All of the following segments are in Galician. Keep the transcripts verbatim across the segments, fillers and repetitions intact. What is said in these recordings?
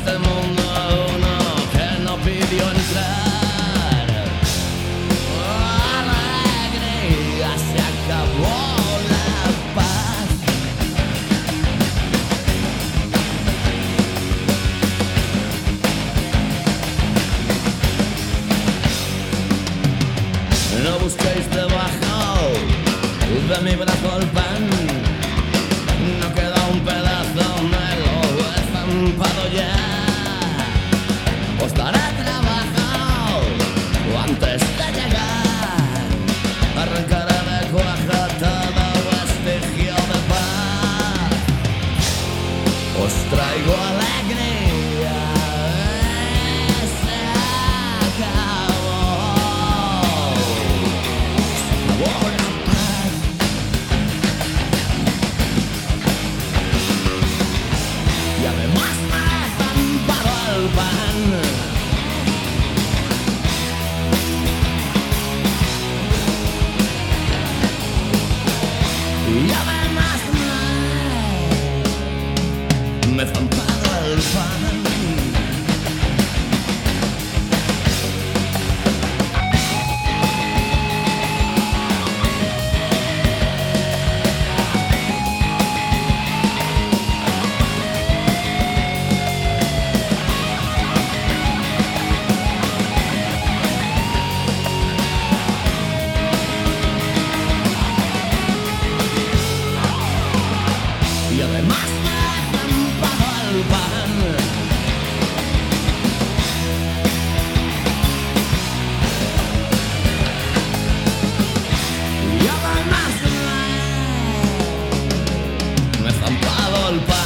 este mundo uno que no pidió entrar. Oh, alegría, se acabó la paz. No busquéis debajo de mi brazo el pan. No queda un pedazo, me lo he zampado ya. Os daré trabajo antes de llegar. Arrancaré de cuaja todo vestigio de paz. Os traigo alegría. Se acabó. Se acabó la paz. Y además me he zampado el pan. Y además me, me he zampado el pan. Y además me he zampado el pan. Y además me, me he zampado el pan.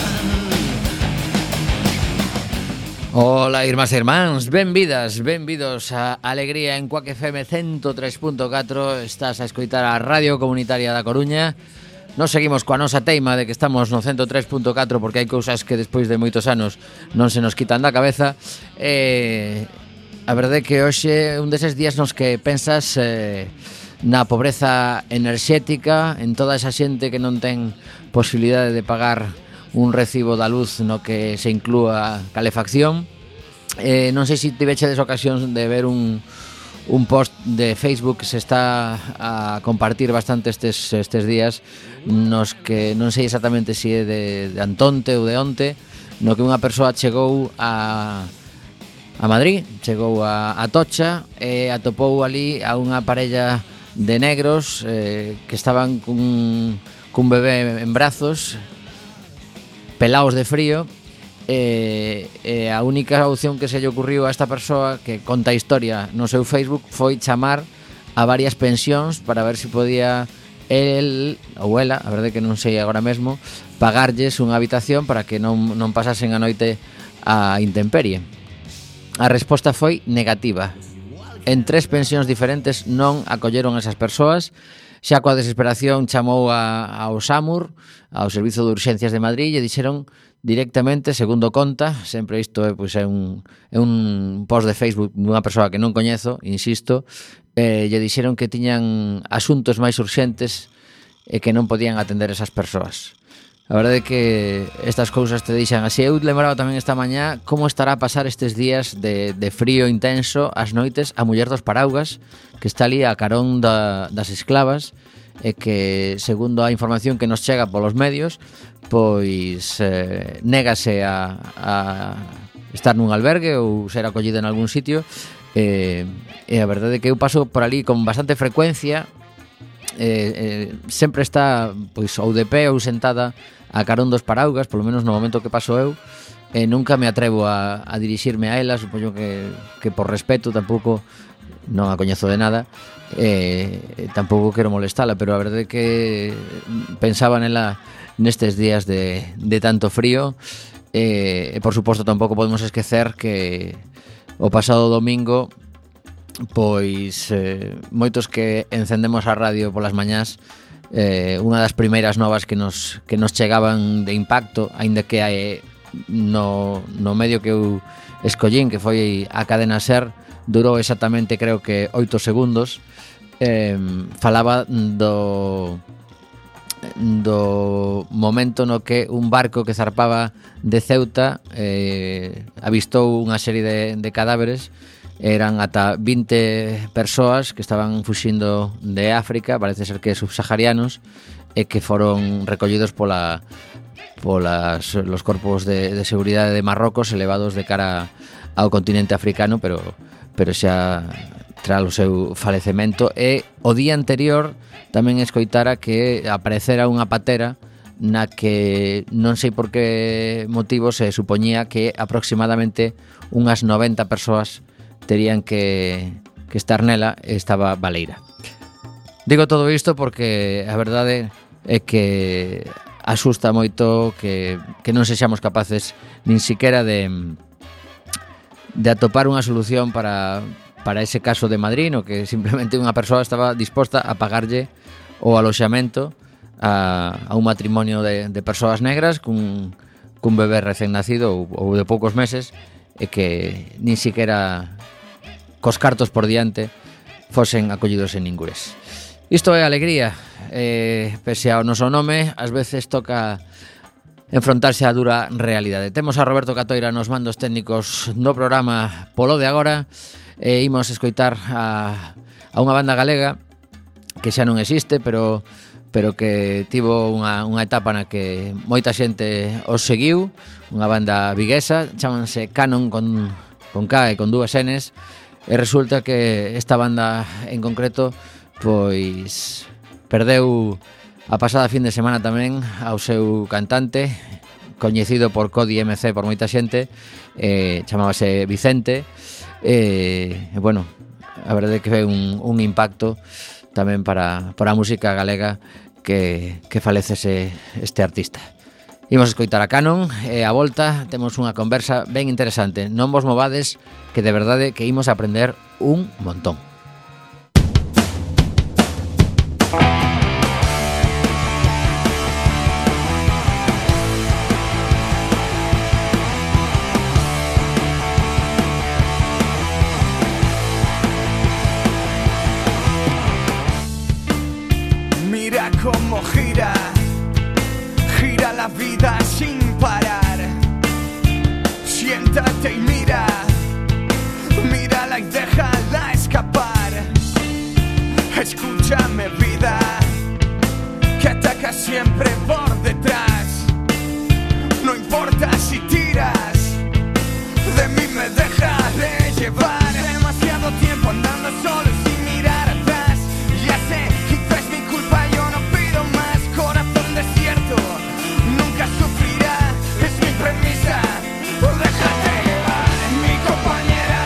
Ola, irmás e irmáns, benvidas, benvidos a Alegría en Cuac F M ciento tres punto catro. Estás a escoitar a Radio Comunitaria da Coruña. Nos seguimos coa nosa teima de que estamos no ciento tres punto catro porque hai cousas que despois de moitos anos non se nos quitan da cabeza. E a verdade é que hoxe é un deses días nos que pensas eh, na pobreza enerxética, en toda esa xente que non ten posibilidade de pagar un recibo da luz no que se inclúa calefacción. Eh, non sei se tivechedes ocasión de ver un un post de Facebook que se está a compartir bastante estes, estes días, nos que non sei exactamente se é de, de Antonte ou de onte, no que unha persoa chegou a a Madrid, chegou a, a Tocha e atopou ali a unha parella de negros eh, que estaban cun, cun bebé en brazos, pelaos de frío. E, e a única opción que se lle ocurriu a esta persoa que conta a historia no seu Facebook foi chamar a varias pensións para ver se podía el ou ela, a verdade que non sei agora mesmo, pagarlles unha habitación para que non, non pasasen a noite a intemperie. A resposta foi negativa. En tres pensións diferentes non acolleron esas persoas. Xa coa desesperación chamou a, ao SAMUR, ao Servizo de Urxencias de Madrid, e dixeron directamente, segundo conta, sempre isto é, pois, é un, é un post de Facebook dunha persoa que non coñezo, insisto, eh, lle dixeron que tiñan asuntos máis urxentes e que non podían atender esas persoas. A verdade é que estas cousas te deixan así. Eu lembraba tamén esta mañá como estará a pasar estes días de, de frío intenso as noites a muller dos paraugas, que está ali a carón da, das esclavas, e que, segundo a información que nos chega polos medios, pois eh, négase a, a estar nun albergue ou ser acollida en algún sitio. E, e a verdade é que eu paso por ali con bastante frecuencia. Eh, eh, sempre está pois ou de pé ou sentada a carón dos paraugas, polo menos no momento que paso eu, e nunca me atrevo a, a dirixirme a ela. Supoño que, que por respeto, tampouco non a coñezo de nada, e tampouco quero molestala, pero a verdade é que pensaba nela nestes días de, de tanto frío. E, e por suposto tampouco podemos esquecer que o pasado domingo, pois eh, moitos que encendemos a radio polas mañás, eh, unha das primeiras novas que nos, que nos chegaban de impacto, aínda que hai no, no medio que eu escollín, que foi a cadena SER, durou exactamente, creo que oito segundos. Eh, falaba do do momento no que un barco que zarpaba de Ceuta eh, avistou unha serie de, de cadáveres. Eran ata vinte persoas que estaban fuxindo de África, parece ser que subsaharianos, e que foron recollidos pola polas los corpos de, de seguridade de Marrocos elevados de cara ao continente africano, pero pero xa tras o seu falecemento. E o día anterior tamén escoitara que aparecera unha patera na que non sei por que motivo se supoñía que aproximadamente unhas noventa persoas terían que, que estar nela e estaba baleira. Digo todo isto porque a verdade é que asusta moito que, que non sexamos capaces nin siquiera de, de atopar unha solución para, para ese caso de Madrid, no que simplemente unha persoa estaba disposta a pagarlle o aloxamento a, a un matrimonio de, de persoas negras cun, cun bebé recén nacido ou, ou de poucos meses, e que nin siquiera cos cartos por diante fosen acollidos en ningures. Isto é alegría, eh, pese ao noso nome, ás veces toca enfrontarse á dura realidade. Temos a Roberto Catoira nos mandos técnicos no programa polo de agora, e imos escoitar a, a unha banda galega que xa non existe, pero pero que tivo unha, unha etapa na que moita xente os seguiu, unha banda viguesa, chámanse Canon con, con K e con dúas Ns. E resulta que esta banda en concreto pois perdeu a pasada fin de semana tamén ao seu cantante, coñecido por Cody M C por moita xente, eh, chamábase Vicente, e eh, bueno, a verdade é que foi un, un impacto tamén para, para a música galega que, que falecese este artista. Imos escoitar a Canon e a volta temos unha conversa ben interesante. Non vos movades, que de verdade que imos aprender un montón. Mira cómo gira, gira la vida sin parar. Siéntate y mira, mírala y déjala escapar. Escúchame, vida, que ataca siempre por detrás. No importa si tiras, de mí me dejaré llevar. Demasiado tiempo andando solo y sin mirar atrás. Ya sé, quizás es mi culpa, yo no pido más. Corazón desierto, nunca sufrirá, es mi premisa. Déjate llevar, mi compañera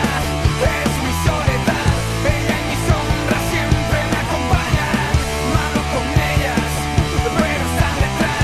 es mi soledad. Ella y mi sombra siempre me acompañan. Malo con ellas, pero están detrás.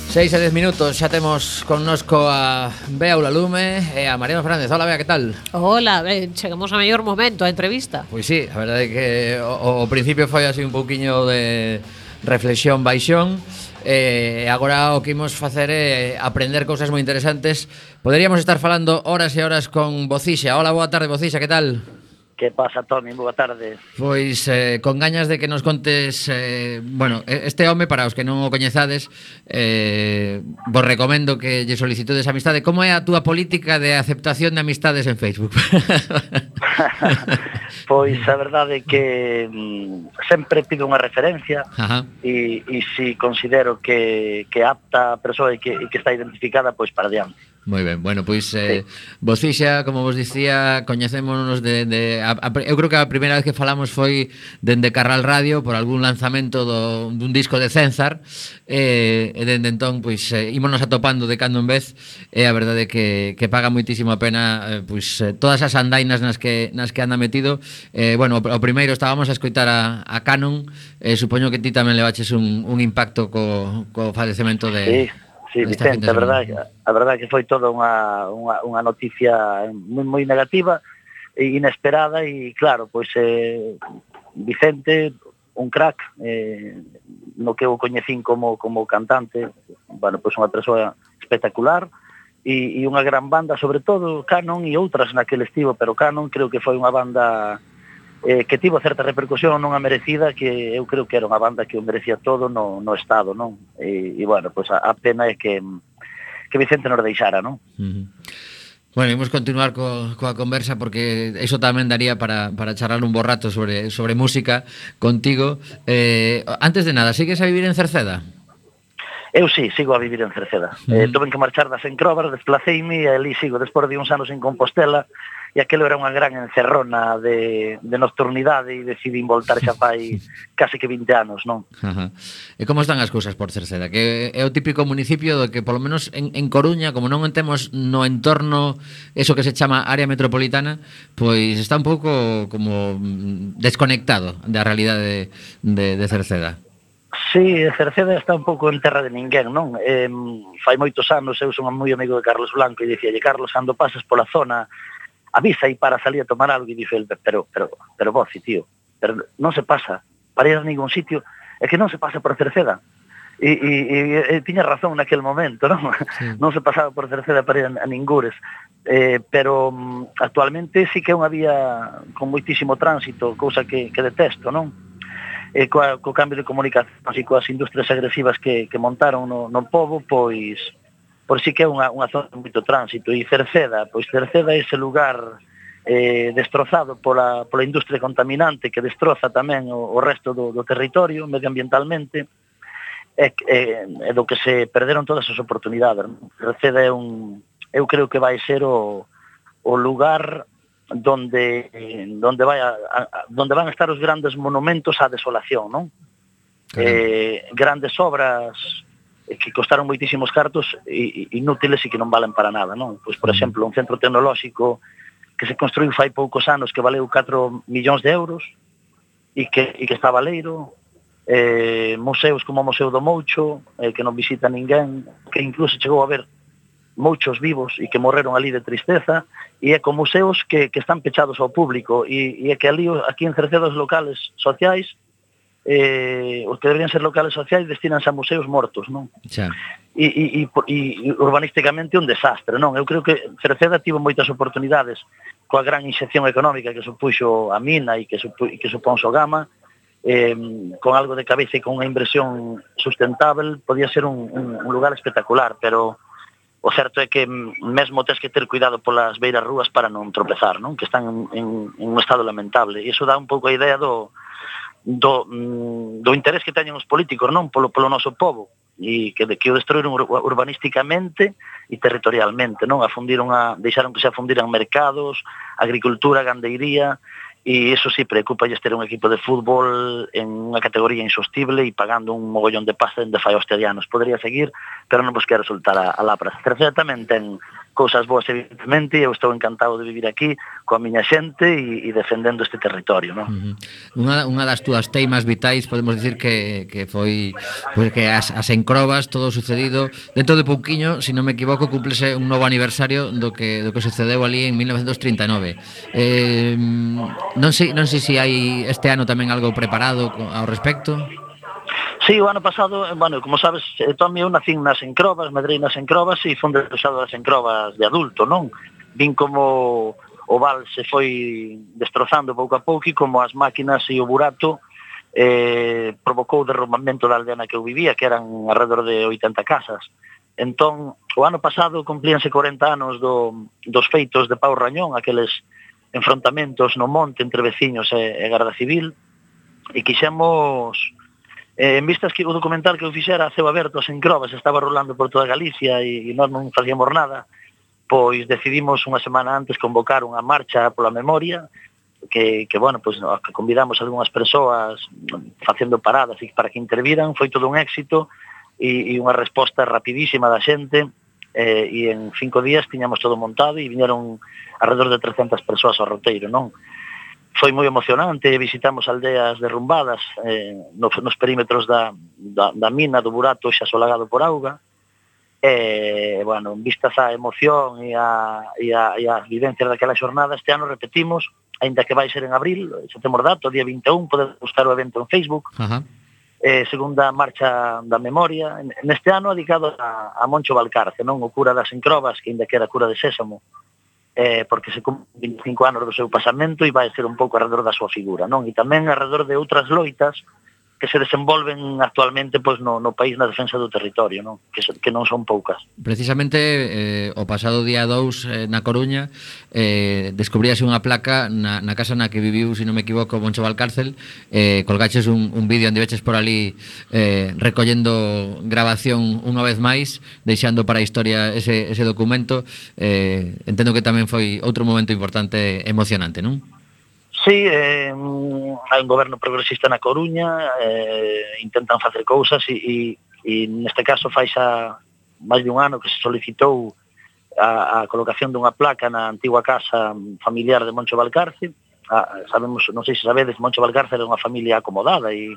Seis e dez minutos, xa temos connosco a Bea Ulalume e a Mariano Fernández. Hola, Bea, que tal? Hola, ben, chegamos ao mellor momento, a entrevista. Pois sí, a verdade é que o, o principio foi así un pouquiño de reflexión baixón. E eh, agora o que imos facer é aprender cousas moi interesantes. Poderíamos estar falando horas e horas con Bocixa. Hola, boa tarde, Bocixa, que tal? Que pasa, Toni? Boa tarde. Pois eh, con gañas de que nos contes eh, bueno, este home, para os que non o coñezades, eh, vos recomendo que lle solicitudes amistade. Como é a túa política de aceptación de amistades en Facebook? Pois a verdade é que mm, sempre pido unha referencia e, e si considero que, que apta a persoa e que, e que está identificada, pois para diante. Moi ben, bueno, pois eh, sí. Bocixa, como vos dicía, coñecémonos de, de a, a, eu creo que a primeira vez que falamos foi dende Carral Radio por algún lanzamento do, dun disco de Cenzar, e, e dende entón pois eh, ímonos atopando de cando en vez, e a verdade é que, que paga moitísimo a pena eh, pois eh, todas as andainas nas que nas que anda metido. Eh, bueno, o primeiro estábamos a escoitar a, a Canon, eh, supoño que ti tamén levaches un, un impacto co, co falecemento de... Sí. Sí, Vicente, a verdade, a verdade que foi toda unha, unha, unha noticia moi, moi negativa e inesperada e claro, pois eh, Vicente, un crack, eh, no que eu coñecín como, como cantante, bueno, pois unha persoa espectacular e, e unha gran banda, sobre todo Canon e outras naquele estivo, pero Canon creo que foi unha banda eh, que tivo certa repercusión, non a merecida, que eu creo que era unha banda que o merecía todo no, no estado, non? E, e bueno, pois a, a pena é que que Vicente nos deixara, non? Uh-huh. Bueno, imos continuar co, coa conversa porque iso tamén daría para, para charlar un bo rato sobre, sobre música contigo. Eh, antes de nada, sigues a vivir en Cerceda? Eu sí, sigo a vivir en Cerceda. Uh-huh. Eh, tuve que marchar das Encróbar, desplaceime e ali sigo, despois de uns anos en Compostela, e aquelo era unha gran encerrona de, de nocturnidade e decidín voltar xa fai case que vinte anos, non? Ajá. E como están as cousas por Cerceda? Que é o típico municipio do que, polo menos en, en Coruña, como non temos no entorno eso que se chama área metropolitana, pois está un pouco como desconectado da realidade de, de Cerceda. Sí, Cerceda está un pouco en terra de ninguén, non? Eh, fai moitos anos eu son moi amigo de Carlos Blanco e dicíalle, Carlos, cando pasas pola zona, avisa aí para salir a tomar algo, e dice el, pero, pero, pero Boci, tío, pero non se pasa para ir a ningún sitio, é que non se pasa por Cerceda. E, e, e, e tiña razón naquele momento, non? Sí. Non se pasaba por Cerceda para ir a, a ningures. Eh, pero um, actualmente sí que é unha vía con moitísimo tránsito, cousa que, que detesto, non? E coa, co cambio de comunicación e coas industrias agresivas que, que montaron no, no pobo, pois por si que é unha, unha zona de moito tránsito. E Cerceda, pois Cerceda é ese lugar eh, destrozado pola, pola industria contaminante que destroza tamén o, o resto do, do territorio medioambientalmente, é, é, é do que se perderon todas as oportunidades. Cerceda é un, eu creo que vai ser o, o lugar donde donde vai a, a, donde van a estar os grandes monumentos á desolación, non? Eh, grandes obras que costaron moitísimos cartos e inútiles e que non valen para nada, non? Pois, por exemplo, un centro tecnolóxico que se construiu fai poucos anos que valeu catro millóns de euros e que, e que está valeiro, eh, museos como o Museo do Moucho, eh, que non visita ninguén, que incluso chegou a ver mouchos vivos e que morreron ali de tristeza, e é con museos que, que están pechados ao público, e, e é que ali, aquí en Cerceda, os locales sociais, eh, os que deberían ser locales sociais destinanse a museos mortos, non? Xa. E, e, e, e urbanísticamente un desastre, non? Eu creo que Cerceda tivo moitas oportunidades coa gran inxección económica que supuxo a mina e que, supu, que supón Sogama, eh, con algo de cabeza e con unha inversión sustentável, podía ser un, un, un lugar espectacular, pero o certo é que mesmo tes que ter cuidado polas beiras rúas para non tropezar, non? Que están en, en, en un estado lamentable, e iso dá un pouco a idea do do, do interés que teñen os políticos, non, polo, polo noso povo, e que, que o destruíron urbanísticamente e territorialmente, non, afundiron a, deixaron que se afundiran mercados, agricultura, gandeiría, e iso sí, preocupa ter un equipo de fútbol en unha categoría insostible e pagando un mogollón de pasta dende fai hostia de anos. Podría seguir, pero non vos quero soltar a, a lapras. Terceira tamén ten cousas boas, evidentemente, e eu estou encantado de vivir aquí coa miña xente e, e defendendo este territorio, non? Uh-huh. Unha, unha das túas teimas vitais, podemos dicir que, que foi pues, que as, as encrobas, todo o sucedido dentro de pouquiño, se non me equivoco, cúmplese un novo aniversario do que do que sucedeu ali en mil novecientos trinta e nove. Eh, non sei, non sei se hai este ano tamén algo preparado ao respecto. Sí, o ano pasado, bueno, como sabes, Tommy, eu nacín nas encrobas, medrei nas encrobas e fun destrozado das encrobas de adulto, non? Vin como o val se foi destrozando pouco a pouco e como as máquinas e o burato eh, provocou o derrumbamento da aldea na que eu vivía, que eran alrededor de oitenta casas. Entón, o ano pasado cumplíanse corenta anos do, dos feitos de Pau Rañón, aqueles enfrontamentos no monte entre veciños e, e Garda Civil, e quixemos... Eh, en vistas que o documental que eu fixera a ceo aberto as encrobas estaba rolando por toda Galicia e, e nós non facíamos nada, pois decidimos unha semana antes convocar unha marcha pola memoria que, que bueno, pois que convidamos a algunhas persoas facendo paradas e para que interviran, foi todo un éxito e, e unha resposta rapidísima da xente eh, e en cinco días tiñamos todo montado e viñeron alrededor de trescentas persoas ao roteiro, non? Foi moi emocionante, visitamos aldeas derrumbadas eh, nos, nos perímetros da, da, da mina, do burato xa solagado por auga. E, bueno, en vistas a emoción e a, e a, e a vivencias daquela xornada, este ano repetimos, aínda que vai ser en abril, xa temos dato, día vinte e un, podes buscar o evento en Facebook. Ajá. Eh, segunda marcha da memoria, neste ano dedicado a, a Moncho Valcarce, non o cura das encrobas, que aínda que era cura de Sésamo, eh, porque se cumplen vinte e cinco anos do seu pasamento e vai ser un pouco alrededor da súa figura, non? E tamén alrededor de outras loitas que se desenvolven actualmente pois no, no país na defensa do territorio, non? Que, so, que non son poucas. Precisamente eh, o pasado día dous eh, na Coruña eh, descubríase unha placa na, na casa na que viviu, se non me equivoco, Moncho Valcárcel. eh, colgaches un, un vídeo onde veches por ali eh, recollendo grabación unha vez máis, deixando para a historia ese, ese documento. eh, entendo que tamén foi outro momento importante, emocionante, non? Sí, eh, hai un goberno progresista na Coruña, eh, intentan facer cousas e, e, e neste caso fai xa máis de un ano que se solicitou a, a colocación dunha placa na antigua casa familiar de Moncho Valcarce. Ah, sabemos, non sei se sabedes, Moncho Valcarce era unha familia acomodada e,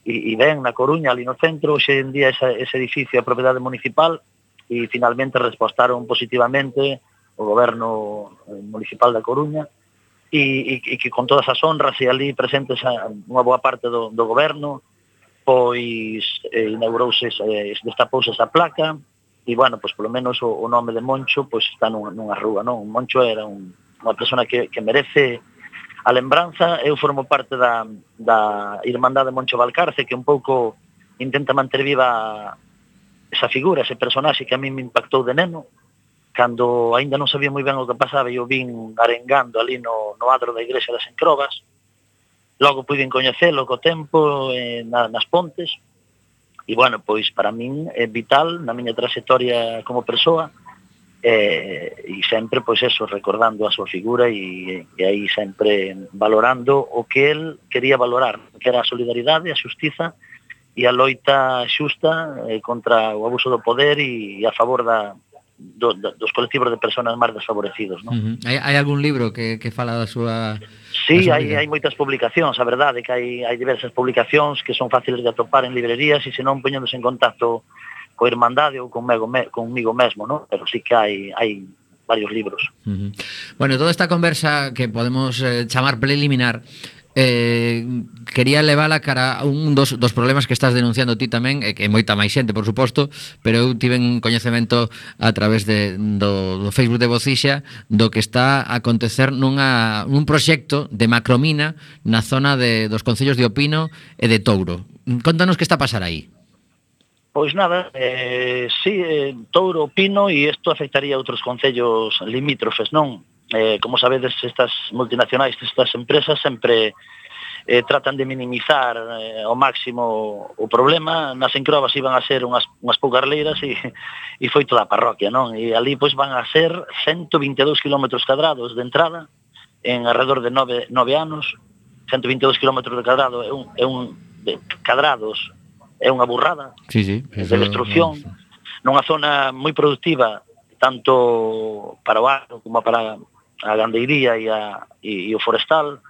e, e ben na Coruña, ali no centro. Hoxe en día ese, ese edificio é propiedade municipal e finalmente respostaron positivamente o goberno municipal da Coruña e, e, e que con todas as honras e ali presentes a unha boa parte do, do goberno, pois eh, inaugurouse, eh, destapouse esa placa e, bueno, pois polo menos o, o nome de Moncho pois está nunha, nunha rúa, non? Moncho era un, unha persona que, que merece a lembranza. Eu formo parte da, da Irmandade Moncho Valcarce, que un pouco intenta manter viva esa figura, ese personaxe que a mí me impactou de neno, cando aínda non sabía moi ben o que pasaba e o vin arengando ali no, no adro da igrexa das Encrobas. Logo puiden coñecelo co tempo eh, na, nas pontes e, bueno, pois para min é vital na miña trayectoria como persoa eh, e sempre, pois eso, recordando a súa figura e, e aí sempre valorando o que el quería valorar, que era a solidaridade, a xustiza e a loita xusta eh, contra o abuso do poder e, e a favor da Do, do, dos colectivos de personas máis desfavorecidos, non? Uh-huh. Hai, hai algún libro que, que fala da súa... Sí, da súa hai, hai moitas publicacións, a verdade que hai, hai diversas publicacións que son fáciles de atopar en librerías e se non poñéndose en contacto co Irmandade ou conmigo, me, conmigo mesmo, non? Pero sí que hai, hai varios libros. Uh-huh. Bueno, toda esta conversa que podemos eh, chamar preliminar, Eh, quería levala cara a un dos, dos problemas que estás denunciando ti tamén, e que moita máis xente, por suposto, pero eu tiven coñecemento a través de, do, do Facebook de Vocixa do que está a acontecer nunha, nun proxecto de macromina na zona de, dos concellos de Opino e de Touro. Contanos que está a pasar aí. Pois nada, eh, sí, eh, Touro, Opino, e isto afectaría a outros concellos limítrofes, non? Eh, como sabedes, estas multinacionais, estas empresas sempre eh, tratan de minimizar eh, ao máximo o problema. Nas Encrobas iban a ser unhas, unhas poucas leiras e, e foi toda a parroquia, non? E ali pois van a ser ciento vinte e dous kilómetros cadrados de entrada en alrededor de nove, nove anos, ciento vinte e dos kilómetros de cadrado, é un, é un de cadrados, é unha burrada sí, sí, de destrucción, no, nunha zona moi productiva, tanto para o agro como para a gandeiría e, a, e, e o forestal,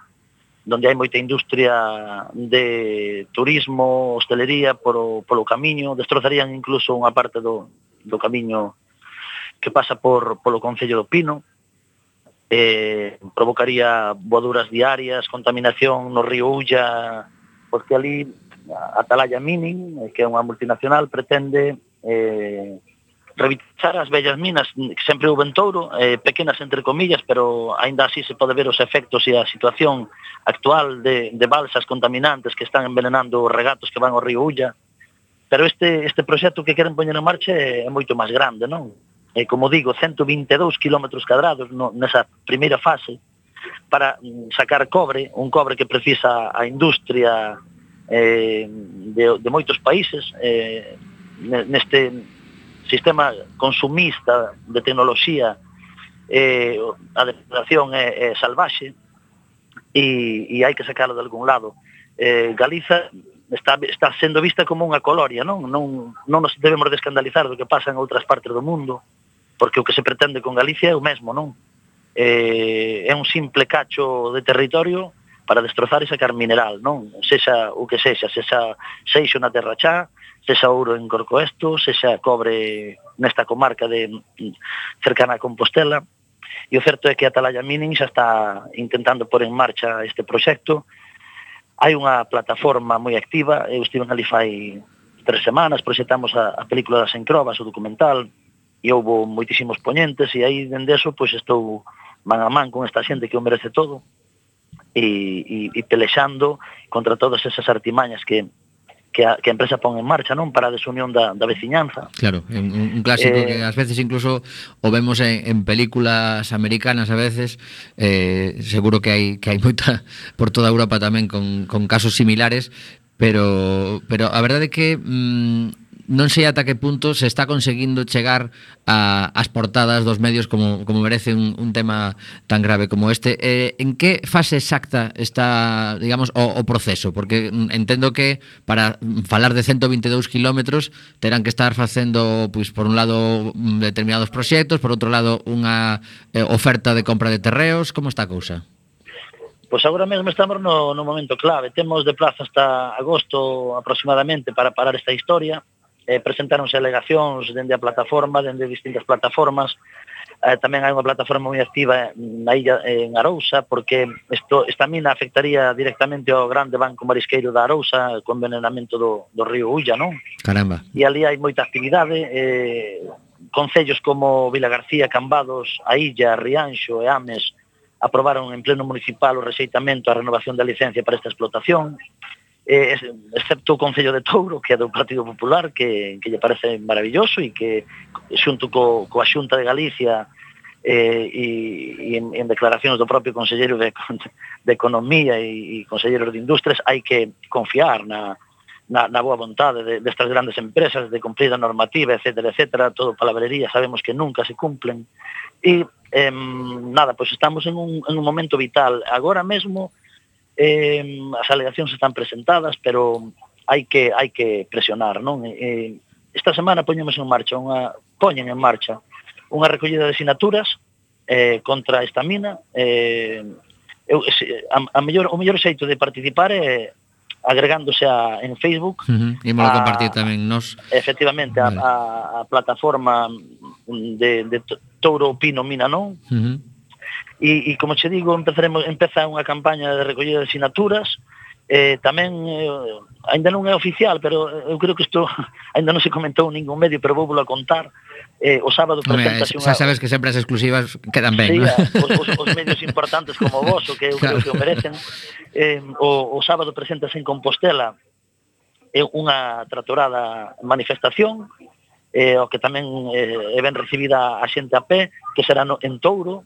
donde hai moita industria de turismo, hostelería, polo, polo camiño, destrozarían incluso unha parte do, do camiño que pasa por polo Concello do Pino, eh, provocaría voaduras diarias, contaminación no río Ulla, porque ali Atalaya Mining, que é unha multinacional, pretende eh, revitalizar as vellas minas que sempre houve en Touro, eh, pequenas entre comillas, pero aínda así se pode ver os efectos e a situación actual de, de balsas contaminantes que están envenenando os regatos que van ao río Ulla. Pero este, este proxecto que queren poñer en marcha é, é moito máis grande, non? E, como digo, ciento vinte e dous kilómetros cadrados no, nesa primeira fase para sacar cobre, un cobre que precisa a industria eh, de, de moitos países eh, neste sistema consumista de tecnoloxía, eh, a depredación é, é salvaxe e, e hai que sacarlo de algún lado. Eh, Galiza está, está sendo vista como unha colonia, non? Non, non nos debemos de escandalizar do que pasa en outras partes do mundo, porque o que se pretende con Galicia é o mesmo, non? Eh, é un simple cacho de territorio para destrozar e sacar mineral, non? Sexa o que sexa, sexa seixo na Terra Chá, sexa ouro en Corcoesto, sexa cobre nesta comarca de cercana a Compostela. E o certo é que Atalaya Mining xa está intentando pôr en marcha este proxecto. Hai unha plataforma moi activa, eu estive ali fai tres semanas, proxectamos a, a película das Encrobas, o documental, e houve moitísimos poñentes, e aí dende eso pois estou man a man con esta xente que o merece todo, e, e, e pelexando contra todas esas artimañas que que a, que a empresa pon en marcha, non, para a desunión da, da veciñanza. Claro, un, un clásico eh, que ás veces incluso o vemos en, en películas americanas a veces, eh, seguro que hai que hai moita por toda Europa tamén con, con casos similares, pero pero a verdade é que mm, non sei ata que punto se está conseguindo chegar a, as portadas dos medios como, como merece un, un tema tan grave como este. Eh, en que fase exacta está, digamos, o, o proceso? Porque entendo que para falar de ciento vinte e dous kilómetros terán que estar facendo, pois, por un lado determinados proxectos, por outro lado unha eh, oferta de compra de terreos. Como está a cousa? Pois agora mesmo estamos no, no momento clave. Temos de plazo hasta agosto aproximadamente para parar esta historia. Eh, presentaronse alegacións dende a plataforma, dende distintas plataformas. Eh, tamén hai unha plataforma moi activa na illa en Arousa, porque esto, esta mina afectaría directamente ao grande banco marisqueiro da Arousa con envenenamento do, do río Ulla, non? Caramba. E ali hai moita actividade, eh, concellos como Vilagarcía, Cambados, a Illa, Rianxo e Ames aprobaron en pleno municipal o rexeitamento a renovación da licencia para esta explotación. Eh, excepto o Concello de Touro, que é do Partido Popular, que, que lle parece maravilloso e que xunto co, coa Xunta de Galicia eh, e, e en, en declaracións do propio Conselleiro de, de Economía e, e Conselleiro de Industrias hai que confiar na, na, na boa vontade de, destas grandes empresas de cumprir a normativa, etcétera, etcétera, todo palabrería, sabemos que nunca se cumplen e eh, nada, pois estamos en un, en un momento vital agora mesmo. Eh, as alegacións están presentadas, pero hai que hai que presionar, non? Eh, esta semana poñemos en marcha unha poñen en marcha unha recollida de sinaturas eh, contra esta mina. Eh, eu, a, a mellor, o mellor xeito de participar é agregándose a, en Facebook. Uh-huh. E mo compartir tamén nos. Efectivamente, vale. a, a, a plataforma de, de Touro Pino Mina Non. Uh-huh. E, e como che digo, empezaremos, empeza unha campaña de recollida de sinaturas. Eh, tamén, eh, ainda non é oficial, pero eu creo que isto ainda non se comentou en ningún medio, pero vou volo a contar. Eh, o sábado presentase unha... Xa sabes que sempre as exclusivas quedan ben, sí, ¿no? os, os, os medios importantes como vos, o que eu claro. creo que o merecen. Eh, o, o sábado presentase en Compostela eh, unha tratorada manifestación, eh, o que tamén eh, é ben recibida a xente a pé, que será no, en Touro.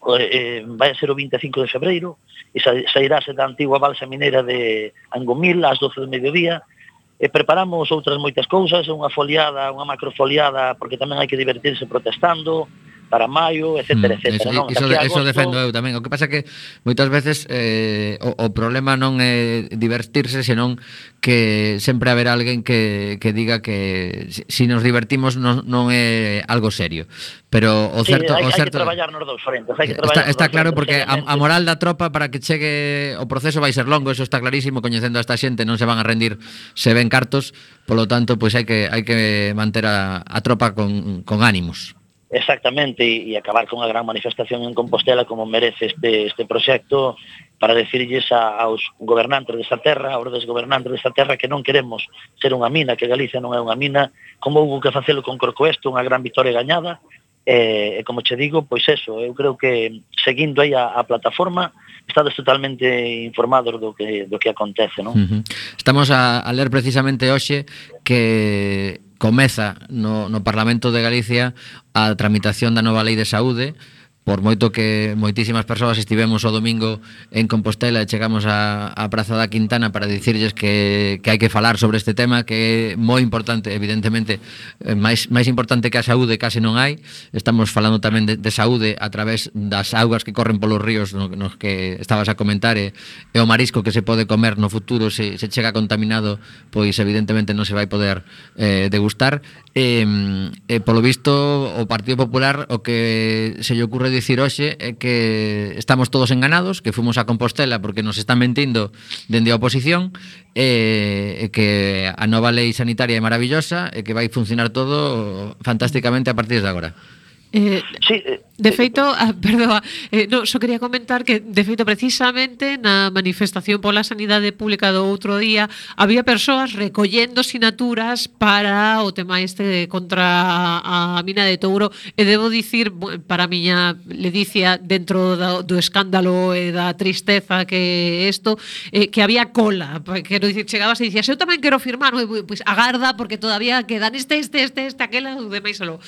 Eh, vai a ser o vinte e cinco de febreiro e sairase da antigua balsa mineira de Angomil ás doce do mediodía. E preparamos outras moitas cousas, unha foliada, unha macrofoliada, porque tamén hai que divertirse protestando, para maio, etcétera, Mm, etcétera. Eso, Non? iso, Daqui a iso agosto- defendo eu tamén. O que pasa que moitas veces eh, o, o problema non é divertirse, senón que sempre haberá alguén que, que diga que si, si nos divertimos non, non é algo serio. Pero o Sí, certo, hai, o hai certo que traballar nos dous frentes, hai que Está, traballar nos está dous claro frentes, porque a, a seriamente. moral da tropa para que chegue o proceso vai ser longo, eso está clarísimo, coñecendo a esta xente non se van a rendir se ven cartos, polo tanto, pois hai que hai que manter a, a tropa con, con ánimos. Exactamente, e, e acabar con a gran manifestación en Compostela como merece este, este proxecto para decirlles a, aos gobernantes desta terra, aos desgobernantes desta terra que non queremos ser unha mina, que Galicia non é unha mina, como houve que facelo con Corcoesto, unha gran victoria gañada, e, e como che digo, pois eso, eu creo que seguindo aí a, a plataforma, estades totalmente informados do que, do que acontece, non? Uh-huh. Estamos a, a ler precisamente hoxe que comeza no, no Parlamento de Galicia a tramitación da nova lei de saúde, por moito que moitísimas persoas estivemos o domingo en Compostela e chegamos a, a Praza da Quintana para dicirlles que, que hai que falar sobre este tema, que é moi importante, evidentemente, máis, máis importante que a saúde case non hai. Estamos falando tamén de, de saúde a través das augas que corren polos ríos no, nos que estabas a comentar e, e o marisco que se pode comer no futuro se, se chega contaminado, pois evidentemente non se vai poder eh, degustar. E, e polo visto o Partido Popular o que se lle ocurre dicir hoxe é que estamos todos enganados, que fomos a Compostela porque nos están mentindo dende a oposición, e, e que a nova lei sanitaria é maravillosa e que vai funcionar todo fantásticamente a partir de agora. Eh, Sí, eh, de feito, ah, perdoa, eh, no, só quería comentar que de feito precisamente na manifestación pola sanidade pública do outro día había persoas recollendo sinaturas para o tema este contra a, a mina de Touro, e debo dicir, para a miña ledicia dentro do, do escándalo e da tristeza que isto, eh, que había cola, quero dicir, chegabas e dicías, eu tamén quero firmar, pois pues, agarda porque todavía quedan este, este, este, este, aquela, o demais solo.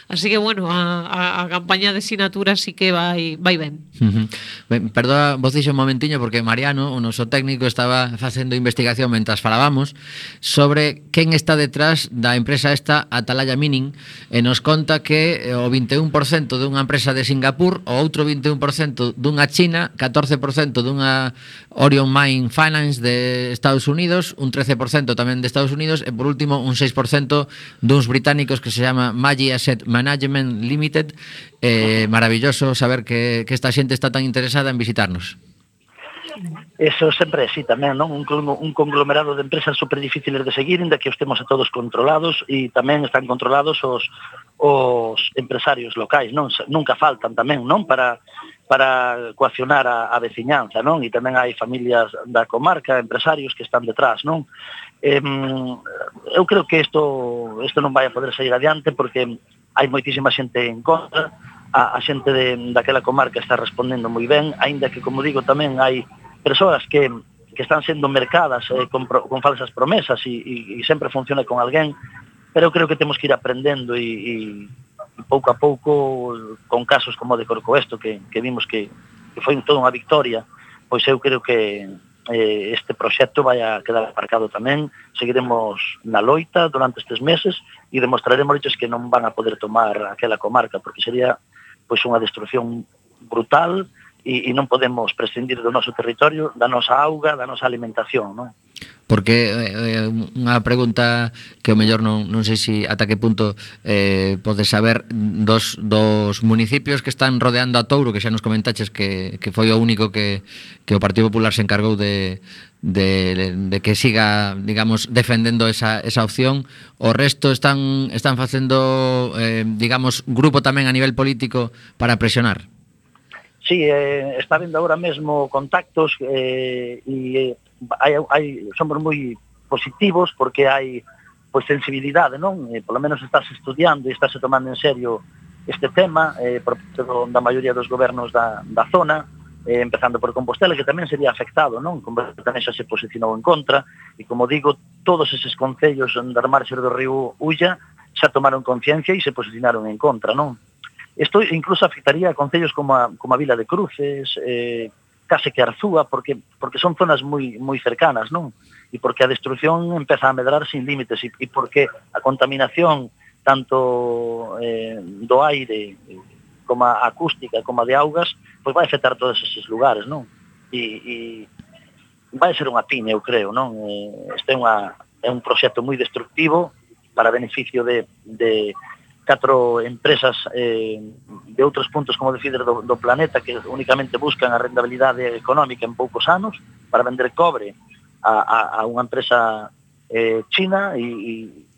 Así que, bueno, a, a, a campaña de sinaturas sí que vai, vai ben. Uh-huh. Ben, perdoa, vos dixo un momentiño porque Mariano, o noso técnico, estaba facendo investigación mentras falábamos sobre quen está detrás da empresa esta Atalaya Mining, e nos conta que o vinte e un por cento dunha empresa de Singapur, o outro vinte e un por cento dunha China, catorce por cento dunha Orion Mine Finance de Estados Unidos, un trece por cento tamén de Estados Unidos, e por último un seis por cento duns británicos que se chama Maggi Asset Management Limited. Eh, maravilloso saber que, que esta xente está tan interesada en visitarnos. Eso sempre é así tamén, non? Un, un conglomerado de empresas super difíciles de seguir, inda que os temos a todos controlados, e tamén están controlados os, os empresarios locais, non? Nunca faltan tamén, non? Para, para coaccionar a, a veciñanza, non? E tamén hai familias da comarca, empresarios que están detrás, non? Eh, eu creo que isto, isto non vai a poder sair adiante porque hai moitísima xente en contra, a, a xente de, daquela comarca está respondendo moi ben, aínda que, como digo, tamén hai persoas que, que están sendo mercadas eh, con, con falsas promesas e, e, e sempre funciona con alguén, pero eu creo que temos que ir aprendendo e, e, e pouco a pouco, con casos como de Corcoesto, que, que vimos que, que foi toda unha victoria, pois eu creo que eh, este proxecto vai a quedar aparcado tamén, seguiremos na loita durante estes meses e demostraremos que non van a poder tomar aquela comarca, porque sería pois unha destrucción brutal e, e non podemos prescindir do noso territorio, da nosa auga, da nosa alimentación, non? Porque eh, unha pregunta que o mellor non, non sei se ata que punto eh, podes saber dos, dos municipios que están rodeando a Touro, que xa nos comentaches que, que foi o único que, que o Partido Popular se encargou de, de, de que siga, digamos, defendendo esa, esa opción. O resto están, están facendo, eh, digamos, grupo tamén a nivel político para presionar. Sí, eh, está vendo agora mesmo contactos eh, e hai, hai, somos moi positivos porque hai pois, sensibilidade, non? Eh, por lo menos estás estudiando e estás tomando en serio este tema eh, por parte da maioría dos gobernos da, da zona, eh, empezando por Compostela, que tamén sería afectado, non? Compostela tamén xa se posicionou en contra e, como digo, todos eses concellos das marxes do río Ulla xa tomaron conciencia e se posicionaron en contra, non? Isto incluso afectaría a concellos como a, como a Vila de Cruces, eh, case que Arzúa, porque, porque son zonas moi, moi cercanas, non? E porque a destrucción empeza a medrar sin límites e, e porque a contaminación tanto eh, do aire como a acústica, como a de augas, pois vai afectar todos esos lugares, non? E, e vai ser unha piña, eu creo, non? Este é, unha, é un proxecto moi destructivo para beneficio de, de catro empresas eh, de outros puntos, como decir, do, do planeta, que únicamente buscan a rentabilidade económica en poucos anos para vender cobre a, a, a unha empresa eh, china, e,